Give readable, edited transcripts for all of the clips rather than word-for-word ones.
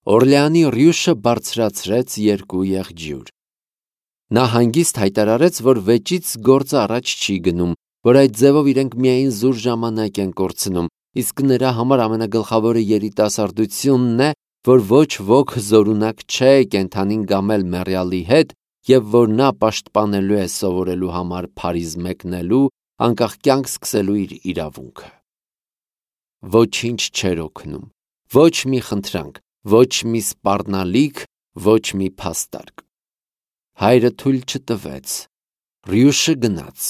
Օրլեանի Ռյուշը բարձրացրեց 2 եղջյուր։ Նա հանգիստ հայտարարեց, որ վեճից գործը առաջ չի գնում, որ այդ ձևով իրենք միայն զուր ժամանակ են կորցնում, իսկ նրա համար ամենագլխավորը երիտասարդությունն է, որ ոչ ոք զորունակ չէ կենդանին գամել մեռյալի հետ և որ նա պաշտպանելու է սովորելու համար Փարիզ մեկնելու, անկախ կյանք սկսելու իր իրավունքը։ Ոչինչ չէր օգնում, ոչ մի խնդրանք, ոչ մի սպառնալիք, ոչ մի փաստարկ։ Հայրը թույլ չտվեց։ Ռյուշը գնաց։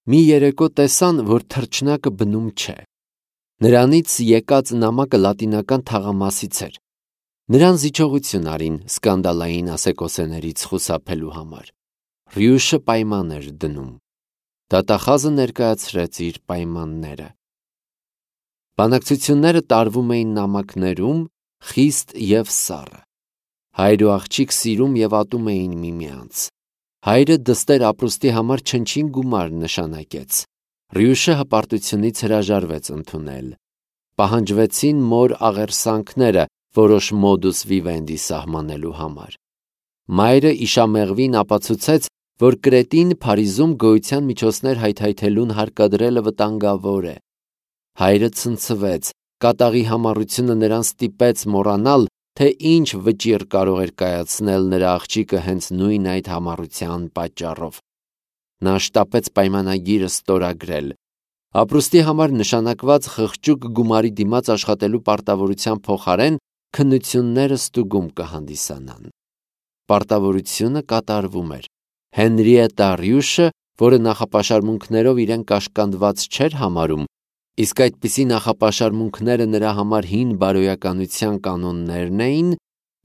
Մի երեկո տեսան, որ թռչնակը բնում չէ։ Նրանից եկած նամակը լատինական թաղամասից էր։ Նրան զիջողություն արին սկանդալային ասեկոսեներից խուսափելու համար։ Ռյուշը պայման էր դնում։ Դատախազը ներկայացրեց իր պայմանները։ Բանակցությունները տարվում էին նամակներում, խիստ և սառը։ Հայր ու աղջիկ սիրում և ատում էին միմյանց։ Հայրը դստեր ապրուստի համար չնչին գումար նշանակեց։ Ռյուշը հպարտությունից հրաժարվեց ընդունել։ Պահանջվեցին մոր աղերսանքները որոշ մոդուս վիվենդի սահմանելու համար։ Մայրը իշամեղվին ապացուցեց, որ Կրետին Փարիզում գոյության միջոցներ հայթայթելուն հարկադրելը վտանգավոր է։ Հայրը ցնցվեց, կատաղի համառությունը նրան ստիպեց մոռանալ, թե ինչ վճիռ կարող էր կայացնել նրա աղջիկը հենց նույն այդ համառության պատճառով։ Նա շտապեց պայմանագիրը ստորագրել։ Ապրուստի համար նշանակված խղճուկ գումարի դիմաց աշխատելու պարտավորության փոխարեն քննությունները ստուգում կհանդիսանան։ Պարտավորությունը կատարվում էր։ Հենրիետա Ռյուշը, որը նախապաշարմունքներով իրեն կաշկանդված չէր համարում, իսկ այդպիսի նախապաշարմունքները նրա համար հին բարոյականության կանոններն էին,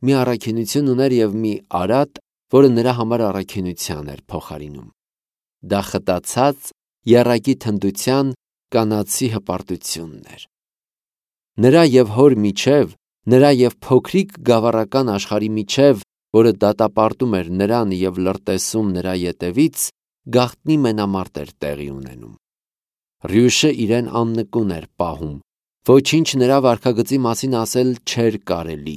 մի առաքինություն ուներ և մի արատ, որը նրա համար առաքինության էր փոխարինում։ Դա խտացած, եռակի թնդության, կանացի հպարտությունն էր։ Նրա և հոր միջև, նրա և փոքրիկ գավառական աշխարհի միջև, որը դատապարտում էր նրան և լրտեսում նրա ետևից, գաղտնի մենամարտ էր տեղի ունենում։ Ռյուշը իրեն աննկուն էր պահում, ոչինչ նրա վարքագծի մասին ասել չէր կարելի,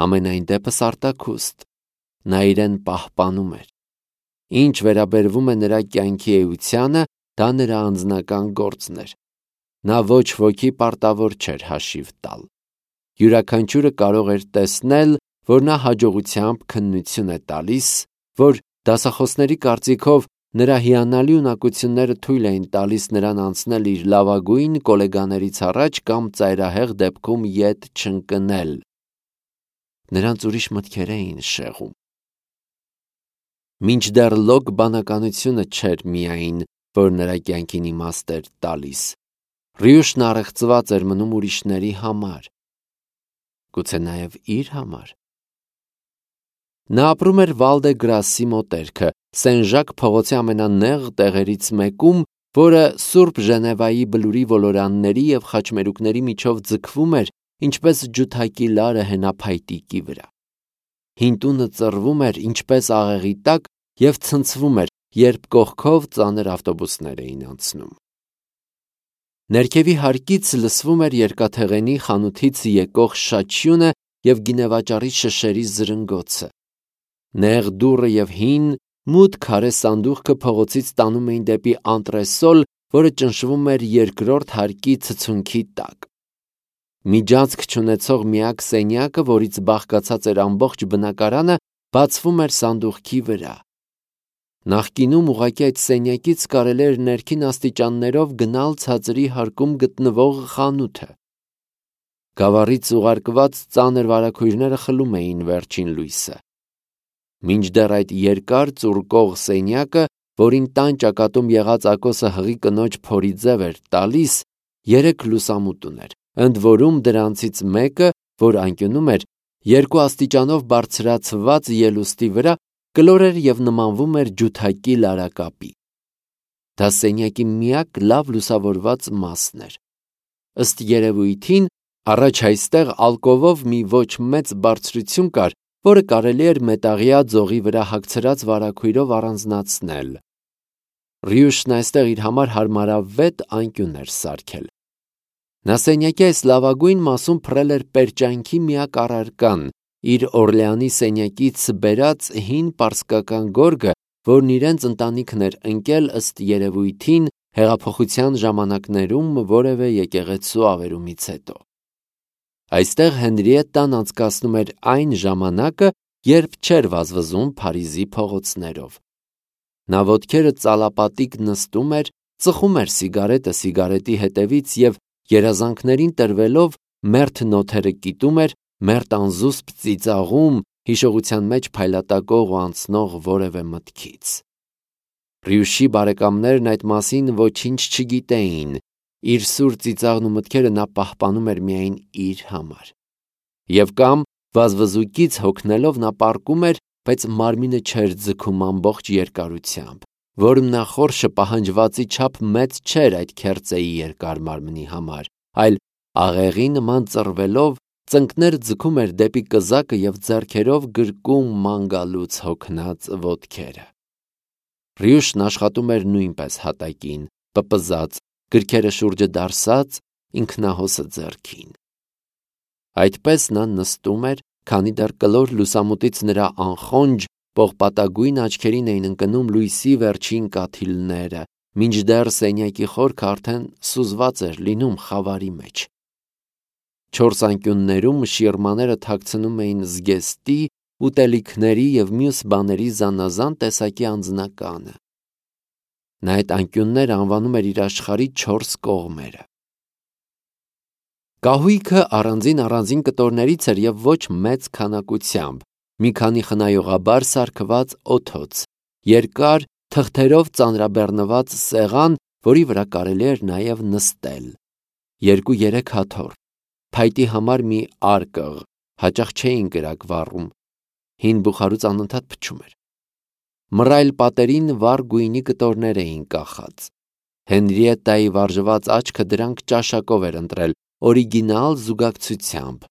համենայն դեպս արտաքուստ, նա իրեն պահպանում էր։ Ինչ վերաբերվում է նրա կյանքի էությանը, դա նրա անձնական գործն էր։ Նա ոչ ոքի պարտավոր չէր հաշիվ տալ։ Յուրաքանչյուրը կարող էր տեսնել, որ նա հաջողությամբ քննություն է տալիս, որ դասախոսների կարծիքով նրա հիանալի ունակությունները թույլ էին տալիս նրան անցնել իր լավագույն գոլեգաներից առաջ կամ ծայրահեղ դեպքում ետ չընկնել։ Նրանց ուրիշ մտքեր էին շեղում։ Մինչդեռ լոկ բանականությունը չէր միայն, որ նրա կյանքին իմաստ էր տալիս։ Ռյուշն առեղծված էր մնում ուրիշների համար, գուցե նաև իր համար։ Նա ապրում էր Վալ-դե-Գրասի մոտերքը, Սեն-Ժակ փողոցի ամենանեղ տեղերից մեկում, որը Սուրբ Ժնևայի բլուրի ոլորանների և խաչմերուկների միջով ձգվում էր, ինչպես ջութակի լարը հենափայտիկի վրա։ Հին տունը ծռվում էր, ինչպես աղեղի տակ, և ցնցվում էր, երբ կողքով ծանր ավտոբուսներ էին անցնում։ Ներքևի հարկից լսվում էր երկաթեղենի խանութից եկող շաչյունը և գինեվաճառի շշերի զրնգոցը։ Նեղ դուռը և հին, մութ քարե սանդուղքը փողոցից տանում էին դեպի անտրեսոլ, որը ճնշվում էր երկրորդ հարկի ցցունքի տակ։ Միջանցք չունեցող միակ սենյակը, որից բաղկացած էր ամբողջ բնակարանը, բացվում էր սանդուղքի վրա։ Նախկինում ուղղակի այդ սենյակից կարելի էր ներքին աստիճաններով գնալ ցածրի հարկում գտնվող խանութը։ Գավառից ուղարկված ծանր վարագույրները խլում էին վերջին լույսը։ Մինչդեռ այդ երկար ծուրկող սենյակը, որին տան ճակատում եղած ակոսը հղի կնոջ փորի ձև էր տալիս, 3 լուսամուտ ուներ, ընդ որում դրանցից մեկը, որ անկյունում էր, 2 աստիճանով բարձրացված ելուստի վրա, կլոր էր և նմանվում էր ջութակի լարակապի։ Դա սենյակի միակ լավ լուսավորված մասն էր։ Ըստ երևույթին, առաջ այստեղ ալկովով մի ոչ մեծ բարձրություն կար, որը կարելի էր մետաղյա ձողի վրա հագցրած վարագույրով առանձնացնել։ Ռյուշն այստեղ իր համար հարմարավետ անկյուն էր սարքել։ Նա սենյակի այս լավագույն մասում փռել էր պերճանքի միակ առարկան, իր Օրլեանի սենյակից բերած հին պարսկական գորգը, որն իրենց ընտանիքն էր ընկել ըստ երևույթին հեղափոխության ժամանակներում որևէ եկեղեցու ավերումից հետո։ Այստեղ Հենրիետտան անցկացնում էր այն ժամանակը, երբ չէր վազվզում Փարիզի փողոցներով։ Նա ոտքերը ծալապատիկ նստում էր, ծխում էր սիգարետը սիգարետի հետևից և երազանքներին տրվելով մերթ նոթերը կիտում էր, մերթ անզուսպ ծիծաղում հիշողության մեջ փայլատակող ու անցնող որևէ մտքից։ Ռյուշի բարեկամներն այդ մասին ոչինչ չգիտեին, իր սուր ծիծաղն ու մտքերը նա պահպանում էր միայն իր համար։ Եվ կամ վազվզուկից հոգնելով նա պառկում էր, բայց մարմինը չէր ձգում ամբողջ երկարությամբ, որմնախորշը պահանջվածի չափ մեծ չէր այդ քերծեի երկար մարմնի համար, այլ աղեղի նման ծռվելով ծնկներ ձգում էր դեպի կզակը և ձեռքերով գրկում ման գալուց հոգնած ոտքերը։ Ռյուշն աշխատում էր նույնպես հատակին, պպզած, գրքերը շուրջը դարսած, ինքնահոսը ձեռքին։ Այդպես նա նստում էր, քանի դեռ կլոր լուսամուտից նրա անխոնջ, պողպատագույն աչքերին էին ընկնում լույսի վերջին կաթիլները, մինչդեռ սենյակի խորքը արդեն սուզված էր լինում խավարի մեջ։ Չորս անկյուններում շիրմաները թաքցնում էին զգեստի, ուտելիքների և մյուս բաների զանազան տեսակի անձնականը։ Նա այդ անկյունները անվանում էր իր աշխարհի 4 կողմերը։ Կահույքը առանձին կտորներից էր և ոչ մեծ քանակությամբ, մի քանի խնայողաբար սարքված օդոց, երկար, թղթերով ծանրաբեռնված սեղան, որի վրա կարելի էր նաև նստել, 2-3 հաթոռ, փայտի համար մի արկղ, հաճախ չէին կրակ վառում, հին բուխարուց անընդհատ փչում էր։ Մռայլ պատերին վառ գույնի կտորներ էին կախած։ Հենրիետտայի վարժված աչքը դրանք ճաշակով էր ընտրել, օրիգինալ զուգակցությամբ։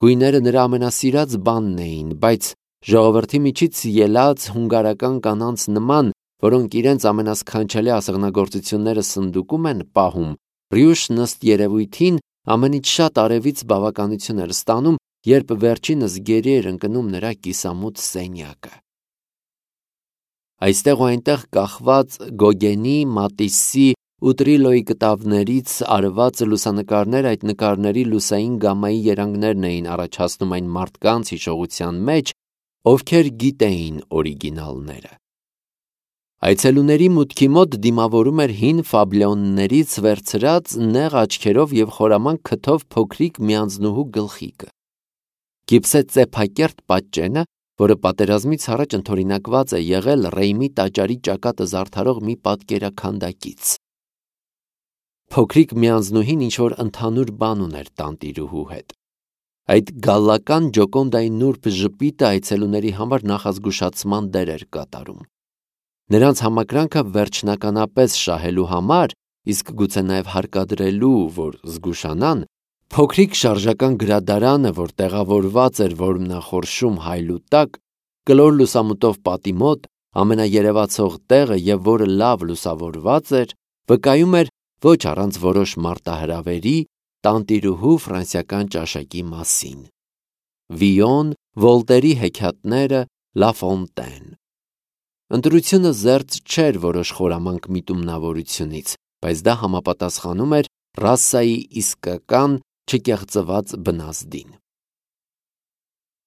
Գույները նրա ամենասիրած բանն էին, բայց ժողովրդի միջից ելած հունգարական կանանց նման, որոնք իրենց ամենասքանչելի ասեղնագործությունները սնդուկում են պահում, Ռյուշն ըստ երևույթին ամենից շատ արևից բավականություն էր ստանում, երբ վերջինս գերի էր ընկնում նրա կիսամութ սենյակը։ Այստեղ ու այնտեղ կախված Գոգենի, Մատիսի ու Տրիլոյի կտավներից արված լուսանկարներ այդ նկարների լուսային գամմայի երանգներն էին առաջացնում այն մարդկանց հիշողության մեջ, ովքեր գիտեին օրիգինալները։ Այցելուների մուտքի մոտ դիմավորում էր հին ֆաբլոններից վերցրած նեղ աչքերով և խորամանկ քթով փոքրիկ միանձնուհու գլխիկը։ Գիպսե ծեփակերտ պատճենը, որը պատերազմից առաջ ընդօրինակված է եղել Ռեյմի տաճարի ճակատը զարդարող մի պատկերաքանդակից։ Փոքրիկ միանձնուհին ինչ-որ ընդհանուր բան ուներ տանտիրուհու հետ։ Այդ գալլական ջոկոնդայի նուրբ ժպիտը այցելուների համար նախազգուշացման դեր էր կատարում։ Նրանց համակրանքը վերջնականապես շահելու համար, իսկ գուցե նաև հարկադրելու, որ զգուշանան, փոքրիկ շարժական գրադարանը, որ տեղավորված էր որմնախորշում հայլու տակ, կլոր լուսամուտով պատի մոտ, ամենաերևացող տեղը և որը լավ լուսավորված էր, վկայում էր ոչ առանց որոշ մարտահրավերի տանտիրուհու ֆրանսիական ճաշակի մասին։ Վիոն, Վոլտերի հեքիաթները, Լա Ֆոնտեն։ Ընտրությունը զերծ չէր որոշ խորամանկ միտումնավորությունից, բայց դա համապատասխանում էր ռասայի իսկական, չկեղծված բնազդին։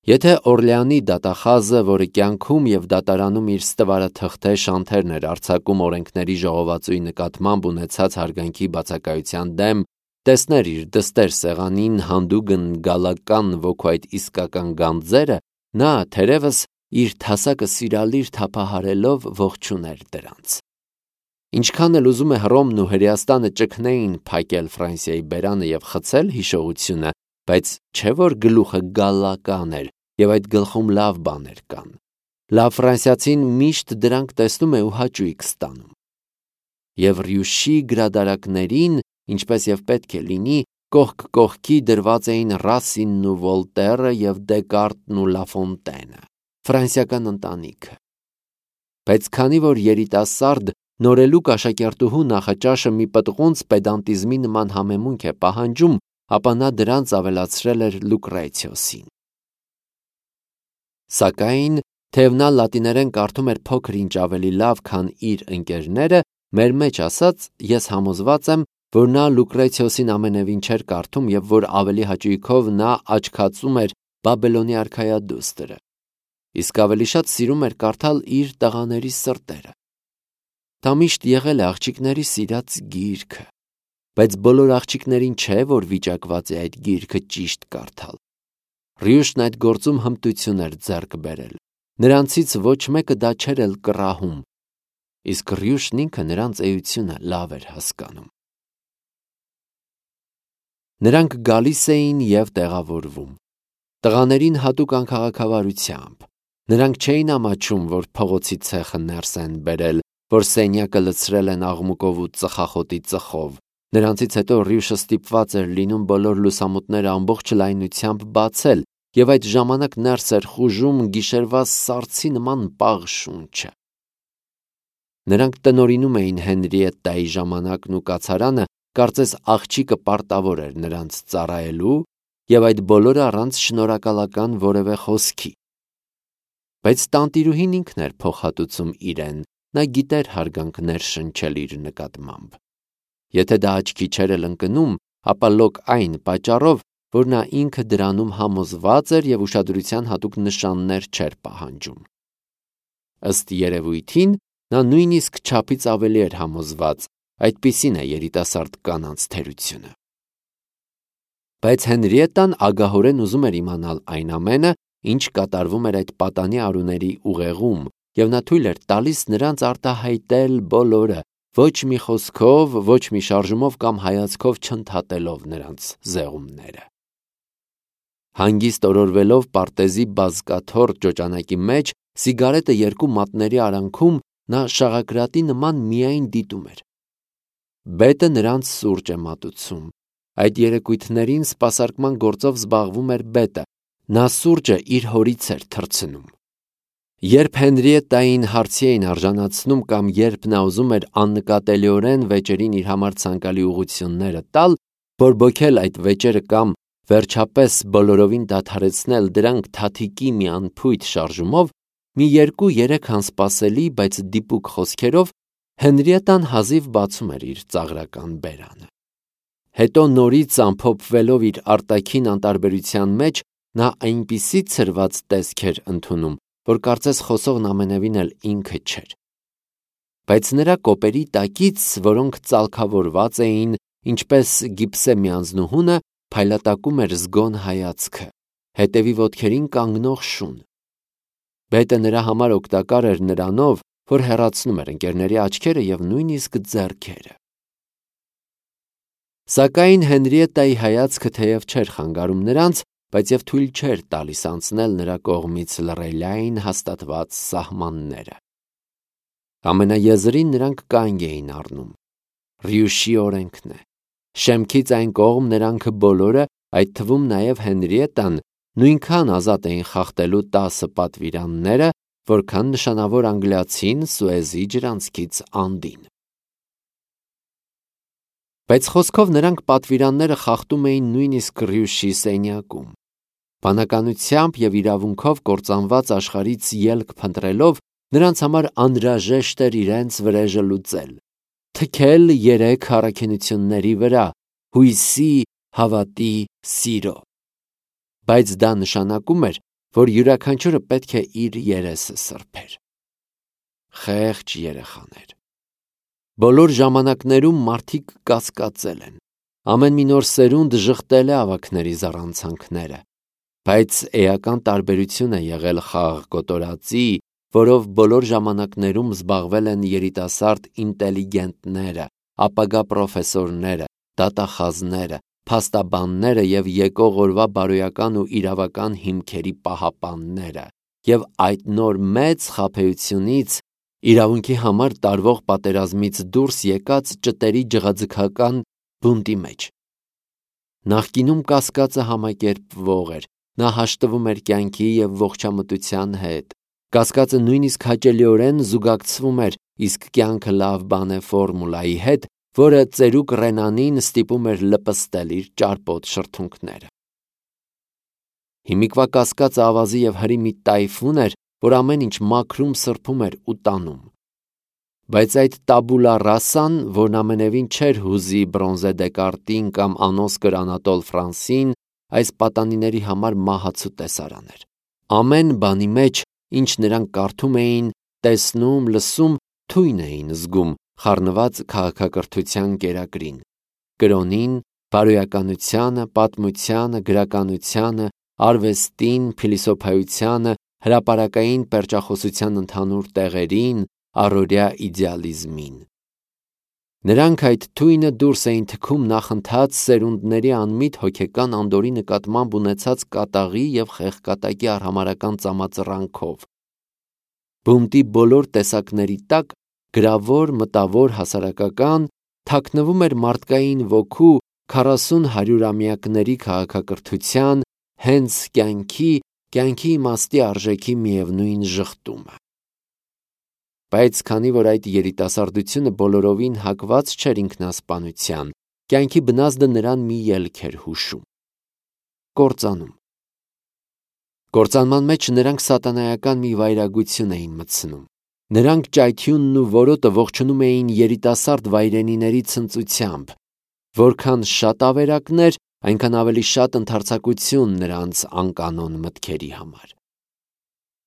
Եթե Օրլեանի դատախազը, որը կյանքում և դատարանում իր ստվարաթղթե շանթերն էր արձակում օրենքների ժողովածուի նկատմամբ ունեցած հարգանքի բացակայության դեմ, տեսներ իր դստեր սեղանին հանդուգն գալական ոգու այդ իսկական գանձերը, նա թերևս իր թասակը սիրալիր թափահարելով ողջուներ դրանց։ Ինչքան էլ ուզում է Հռոմն ու Հրեաստանը ճգնեին փակել Ֆրանսիայի բերանը և խցել հիշողությունը, բայց չէ որ գլուխը գալլական էր և այդ գլխում լավ բաներ կան։ Լավ ֆրանսիացին միշտ դրանք տեսնում է ու հաճույք ստանում։ Եվ Ռյուշի գրադարակներին, ինչպես և պետք է լինի, կողք կողքի դրված էին Ռասինն ու Վոլտերը և Դեկարտն ու Լա Ֆոնտենը, ֆրանսիական ընտանիքը։ Բայց քանի որ երիտասարդ նորելուկ աշակերտուհու նախաճաշը մի պտղունց պեդանտիզմի նման համեմունք է պահանջում, ապա նա դրանց ավելացրել էր Լուկրեցիոսին։ Սակայն, թեև նա լատիներեն կարդում էր փոքր ինչ ավելի լավ, քան իր ընկերները, մեր մեջ ասած, ես համոզված եմ, որ նա Լուկրեցիոսին ամենևին չէր կարդում և որ ավելի հաճույքով նա աչքացում էր Բաբելոնի արքայադուստրը, իսկ ավելի շատ սիրում էր կարդալ իր տղաների սրտերը։ Դա միշտ եղել է աղջիկների սիրած գիրքը, բայց բոլոր աղջիկներին չէ, որ վիճակված է այդ գիրքը ճիշտ կարդալ։ Ռյուշն այդ գործում հմտություն էր ձեռք բերել, նրանցից ոչ մեկը դա չէր էլ կռահում, իսկ Ռյուշն ինքը նրանց էությունը լավ էր հասկանում։ Նրանք գալիս էին և տեղավորվում։ Տղաներին հատուկ անքաղաքավարությամբ։ Նրանք չէին ամաչում, որ փողոցի ցեխը ներս են բերել, որ սենյակը լցրել են աղմուկով ու ծխախոտի ծխով։ Նրանցից հետո Ռյուշը ստիպված էր լինում բոլոր լուսամուտները ամբողջ լայնությամբ բացել, և այդ ժամանակ ներս էր խուժում գիշերվա սառցի նման պաղ շունչը։ Նրանք տնօրինում էին Հենրիետտայի ժամանակն ու կացարանը, կարծես աղջիկը պարտավոր էր նրանց ծառայելու, և այդ բոլորը առանց շնորհակալական որևէ խոսքի։ Բայց տանտիրուհին ինքն էր փոխհատուցում իրեն, նա գիտեր հարգանքներ շնչել իր նկատմամբ։ Եթե դա աչքի չէր էլ ընկնում, ապա լոկ այն պատճառով, որ նա ինքը դրանում համոզված էր և ուշադրության հատուկ նշաններ չէր պահանջում։ Ըստ երևույթին, նա նույնիսկ չափից ավելի էր համոզված, այդպիսին է երիտասարդ կանանց թերությունը։ Բայց Հենրիետտան ագահորեն ուզում էր իմանալ այն ամենը, ինչ կատարվում էր այդ պատանի արուների ուղեղում, և նա թույլ էր տալիս նրանց արտահայտել բոլորը, ոչ մի խոսքով, ոչ մի շարժումով կամ հայացքով չընդհատելով նրանց զեղումները։ Հանգիստ օրորվելով պարտեզի բազկաթոռ ճոճանակի մեջ, սիգարետը երկու մատների արանքում, նա շաղակրատի նման միայն դիտում էր։ Բետը նրանց սուրճ է մատուցում։ Այդ երեկույթներին սպասարկման գործով զբաղվում էր բետը, նա սուրճը իր հորից էր թռցնում։ Երբ Հենրիետտային հարցի էին արժանացնում կամ երբ նա ուզում էր աննկատելիորեն վեճերին իր համար ցանկալի ուղղությունները տալ, բորբոքել այդ վեճերը կամ վերջապես բոլորովին դադարեցնել դրանք թաթիկի մի անփույթ շարժումով, մի 2-3 անսպասելի, բայց դիպուկ խոսքերով Հենրիետտան հազիվ բացում էր իր ծաղրական բերանը։ Հետո նորից ամփոփվելով իր արտաքին անտարբերության մեջ, նա այնպիսի ցրված տեսք էր ընդունում, որ կարծես խոսողն ամենևին էլ ինքը չէր։ Բայց նրա կոպերի տակից, որոնք ծալքավորված էին, ինչպես գիպսե միանձնուհունը, փայլատակում էր զգոն հայացքը, հետևի ոտքերին կանգնող շուն։ Բետը նրա համար օգտակար էր նրանով, որ հեռացնում էր ընկերների աչքերը և նույնիսկ ձեռքերը։ Սակայն Հենրիետտայի հայացքը թեև չէր խանգարում նրանց, բայց և թույլ չէր տալիս անցնել նրա կողմից լռելային հաստատված սահմանները։ Ամենաեզրին նրանք կանգ էին առնում։ Ռյուշի օրենքն է։ Շեմքից այն կողմ նրանք բոլորը, այդ թվում նաև Հենրիետտան, նույնքան ազատ էին խախտելու 10 պատվիրանները, որքան նշանավոր անգլիացին Սուեզի ջրանցքից անդին։ Բայց խոսքով նրանք պատվիրանները խախտում էին նույնիսկ Ռյուշի սենյակում։ Բանականությամբ և իրավունքով կործանված աշխարհից ելք փնտրելով, նրանց համար անհրաժեշտ էր իրենց վրեժը լուծել, թքել 3 առաքինությունների վրա՝ հույսի, հավատի, սիրո։ Բայց դա նշանակում էր, որ յուրաքանչյուրը պետք է իր երեսը սրբեր։ Խեղճ երեխաներ։ Բոլոր ժամանակներում մարդիկ կասկածել են։ Ամեն մի նոր սերունդ ժխտել է ավագների զառանցանքները։ Բայց էական տարբերություն է եղել խաղ կոտորածի, որով բոլոր ժամանակներում զբաղվել են երիտասարդ ինտելիգենտները, ապագա պրոֆեսորները, դատախազները, փաստաբանները և եկող օրվա բարոյական ու իրավական հիմքերի պահապանները, և այդ նոր մեծ խաբեությունից, իրավունքի համար տարվող պատերազմից դուրս եկած ճտերի ջղաձգական բունտի մեջ։ Նախկինում կասկածը համակերպվող էր, նա հաշտվում էր կյանքի և ողջամտության հետ, կասկածը նույնիսկ հաճելիորեն զուգակցվում էր իսկ կյանքը լավ բան է ֆորմուլայի հետ, որը ծերուկ Ռենանին ստիպում էր լպստել իր ճարպոտ շրթունքները։ Հիմիկվա կասկածը ավազի եւ հրի մի տայֆուն էր, որ ամեն ինչ մաքրում, սրբում էր ու տանում։ Բայց այդ տաբուլա ռասան, որն ամենևին չէր հուզի Բրոնզե Դեկարտին կամ անոսկր Անատոլ Ֆրանսին, այս պատանիների համար մահացու տեսարան էր։ Ամեն բանի մեջ, ինչ նրանք կարդում էին, տեսնում, լսում, թույն էին զգում, խառնված քաղաքակրթության կերակրին, կրոնին, բարոյականությանը, պատմությանը, գրականությանը, արվեստին, փիլիսոփայությանը, հրապարակային պերճախոսության ընդհանուր տեղերին, առօրյա իդեալիզմին։ Նրանք այդ թույնը դուրս էին թքում նախընթաց սերունդների անմիտ հոգեկան անդորի նկատմամբ ունեցած կատաղի եւ խեղկատակի արհամարհական ծամածռանքով։ Բունտի բոլոր տեսակների տակ գրավոր, մտավոր, հասարակական թաքնվում էր մարդկային ոգու 40-100-ամյակների քաղաքակրթության հենց կյանքի իմաստի արժեքի միևնույն ժխտումը։ Բայց քանի որ այդ երիտասարդությունը բոլորովին հակված չէր ինքնասպանության, կյանքի բնազդը նրան մի ելք էր հուշում։ Կործանում։ Կործանման մեջ նրանք սատանայական մի վայրագություն էին մտցնում։ Նրանք ճայթյունն ու որոտը ողջունում էին երիտասարդ վայրենիների ցնծությամբ։ Որքան շատ ավերակներ, այնքան ավելի շատ ընդարձակություն նրանց անկանոն մտքերի համար։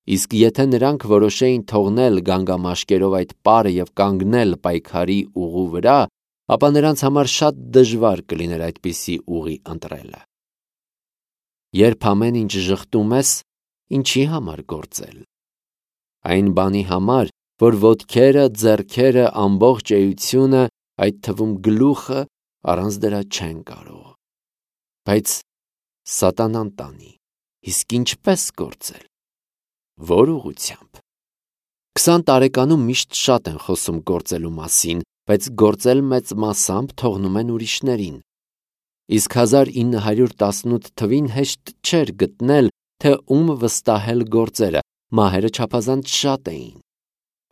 Իսկ եթե նրանք որոշեին թողնել գանգամաշկերով այդ պարը եւ կանգնել պայքարի ուղու վրա, ապա նրանց համար շատ դժվար կլիներ այդպիսի ուղի ընտրելը։ Երբ ամեն ինչ ժխտում ես, ինչի համար գործել։ Այն բանի համար, որ ոտքերը, ձեռքերը, ամբողջ էությունը, այդ թվում գլուխը առանց դրա չեն կարող։ Բայց սատանան տանի, իսկ ինչպես գործել։ Որ ուղղությամբ։ 20 տարեկանում միշտ շատ են խոսում գործելու մասին, բայց գործել մեծ մասամբ թողնում են ուրիշներին։ Իսկ 1918 թվին հեշտ չէր գտնել, թե ում վստահել գործերը, մահերը չափազանց շատ էին։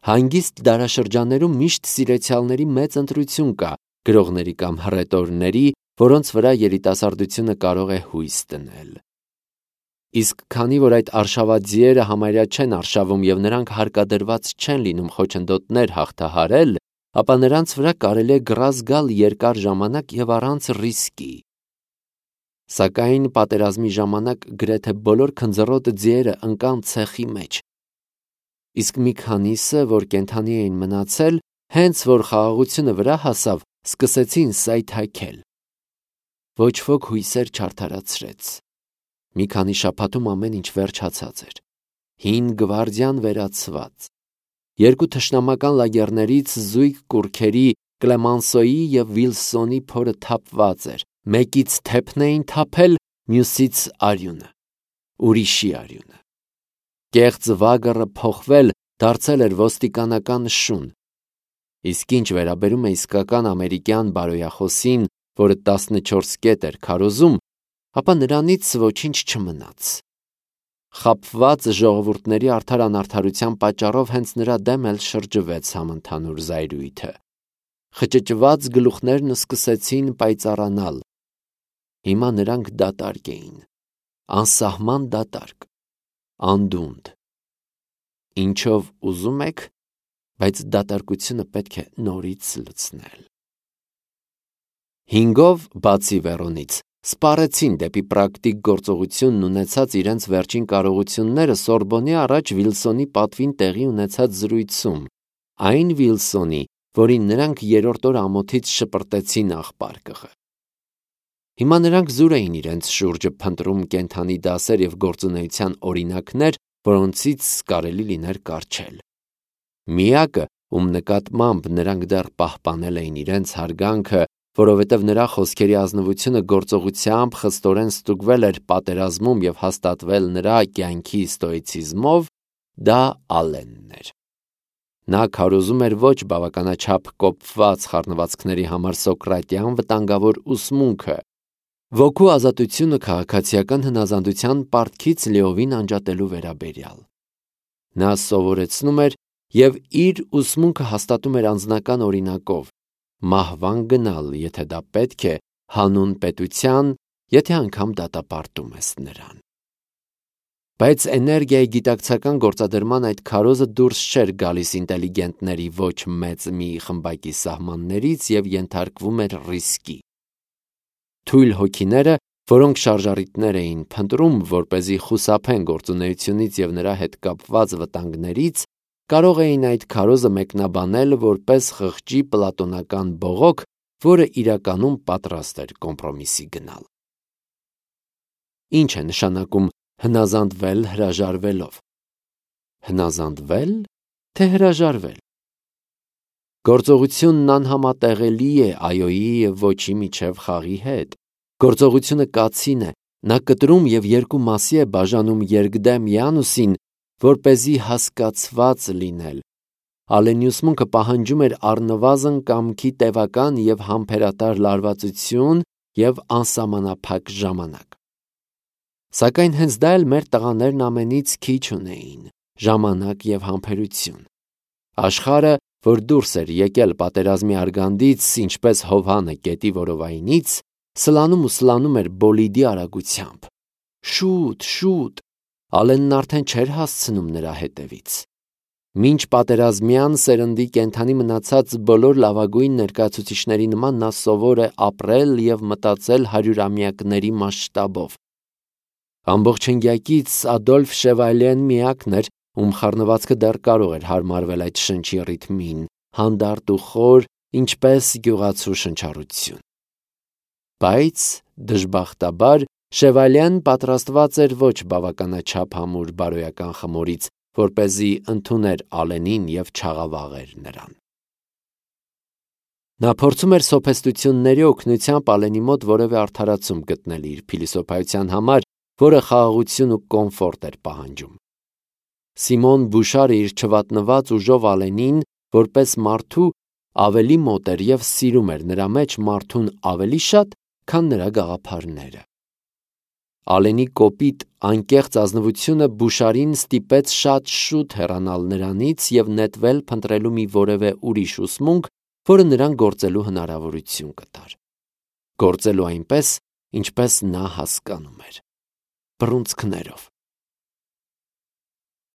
Հանգիստ դարաշրջաններում միշտ սիրեցյալների մեծ ընտրություն կա, գրողների կամ հռետորների, որոնց վրա երիտասարդությունը կարող է հույս դնել։ Իսկ քանի որ այդ արշավաձիերը համարյա չեն արշավում եւ նրանք հարկադրված չեն լինում խոչընդոտներ հաղթահարել, ապա նրանց վրա կարելի է գրազ գալ երկար ժամանակ եւ առանց ռիսկի։ Սակայն պատերազմի ժամանակ գրեթե բոլոր քնձռոտ ձիերը ընկան ցեխի մեջ։ Իսկ մի քանիսը, որ կենդանի էին մնացել, հենց որ խաղաղությունը վրա հասավ, սկսեցին սայթաքել։ Ոչ ոք հույսեր չարդարացրեց։ Մի քանի շաբաթում ամեն ինչ վերջացած էր։ Հին գվարդիան վերացված։ Երկու թշնամական լագերներից զույգ կուռքերի Կլեմանսոյի եւ Վիլսոնի փորը թափված էր։ Մեկից թեփն էին թափել, մյուսից արյունը, ուրիշի արյունը։ Կեղծ վագռը փոխվել, դարձել էր ոստիկանական շուն։ Իսկ ինչ վերաբերում է իսկական ամերիկյան բարոյախոսին, որը 14 կետ էր քարոզում, ապա նրանից ոչինչ չմնաց։ Խաբված ժողովուրդների արդար անարդարության պատճառով հենց նրա դեմ էլ շրջվեց համընդհանուր զայրույթը։ Խճճված գլուխներն սկսեցին պայծառանալ։ Հիմա նրանք դատարկ էին, անսահման դատարկ, անդունդ։ Ինչով ուզում եք, բայց դատարկությունը պետք է նորից լցնել։ 5-ով բացի Վերոնից սպառեցին դեպի պրակտիկ գործողությունն ունեցած իրենց վերջին կարողությունները Սորբոնի առաջ Վիլսոնի պատվին տեղի ունեցած զրույցում, այն Վիլսոնի, որին նրանք երրորդ օր ամոթից շպրտեցին աղբարկղը։ Հիմա նրանք զուր էին իրենց շուրջը փնտրում կենդանի դասեր եւ գործունեության օրինակներ, որոնցից կարելի լիներ կառչել։ Միակը, ում նկատմամբ նրանք դեռ պահպանել էին իրենց հարգանքը, որովհետև նրա խոսքերի ազնվությունը գործողությամբ խստորեն ստուգվել էր պատերազմում եւ հաստատվել նրա կյանքի ստոիցիզմով, դա Ալենն էր։ Նա քարոզում էր ոչ բավականաչափ կոփված խառնվածքների համար սոկրատյան վտանգավոր ուսմունքը, ոգու ազատությունը քաղաքացիական հնազանդության պարտքից լիովին անջատելու վերաբերյալ։ Նա սովորեցնում էր և իր ուսմունքը հաստատում էր անձնական օրինակով, մահվան գնալ, եթե դա պետք է, հանուն պետության, եթե անգամ դատապարտում ես նրան։ Բայց էներգիայի գիտակցական գործադրման այդ քարոզը դուրս չէր գալիս ինտելիգենտների ոչ մեծ մի խմբակի սահմաններից և ենթարկվում էր ռիսկի։ Թույլ հոգիները, որոնք շարժառիթներ էին փնտրում, որպեսզի խուսափեն գործունեությունից և նրա հետ կապված վտանգներից, կարող էին այդ քարոզը մեկնաբանել որպես խղճի պլատոնական բողոք, որը իրականում պատրաստ էր կոմպրոմիսի գնալ։ Ինչ է նշանակում հնազանդվել հրաժարվելով։ Հնազանդվե՞լ, թե հրաժարվել։ Գործողությունն անհամատեղելի է այոյի և ոչի միջև խաղի հետ։ Գործողությունը կացին է, նա կտրում և երկու մասի է բաժանում երկդեմ Յանուսին, որպեսզի հասկացված լինել։ Ալենի ուսմունքը պահանջում էր առնվազն կամքի տևական և համբերատար լարվածություն և անսահմանափակ ժամանակ։ Սակայն հենց դա էլ մեր տղաներն ամենից քիչ ունեին՝ ժամանակ և համբերություն։ Աշխարհը, որ դուրս էր եկել պատերազմի արգանդից, ինչպես Հովհանը գետի որովայնից, սլանում ու սլանում էր բոլիդի արագությամբ։ Շուտ, շուտ, Ալենն արդեն չէր հասցնում նրա հետևից։ Մինչ պատերազմյան սերնդի կենդանի մնացած բոլոր լավագույն ներկայացուցիչների նման նա սովոր է ապրել և մտածել հարյուրամյակների մասշտաբով։ Ամբողջնյակից Ադոլֆ Շևալեն միակն էր, ում խառնվածքը դեռ կարող էր հարմարվել այդ շնչի ռիթմին, հանդարտ ու խոր, ինչպես գյուղացու շնչառություն։ Բայց, դժբախտաբար, Շևալեն պատրաստված էր ոչ բավականաչափ համուր բարոյական խմորից, որպեսզի ընդուներ Ալենին և չաղավաղեր նրան։ Նա փորձում էր սոփեստությունների օգնությամբ Ալենի մոտ որևէ արդարացում գտնել իր փիլիսոփայության համար, որը խաղաղություն ու կոմֆորտ էր պահանջում։ Սիմոն Բուշարը իր չվատնված ուժով Ալենին, որպես մարդու, ավելի մոտ էր և սիրում էր նրա մեջ մարդուն ավելի շատ, քան նրա գաղափարները։ Ալենի կոպիտ, անկեղծ ազնվությունը Բուշարին ստիպեց շատ շուտ հեռանալ նրանից և նետվել փնտրելու մի որևէ ուրիշ ուսմունք, որը նրան գործելու հնարավորություն կտար։ Գործելու այնպես, ինչպես նա հասկանում էր։ Բռունցքներով։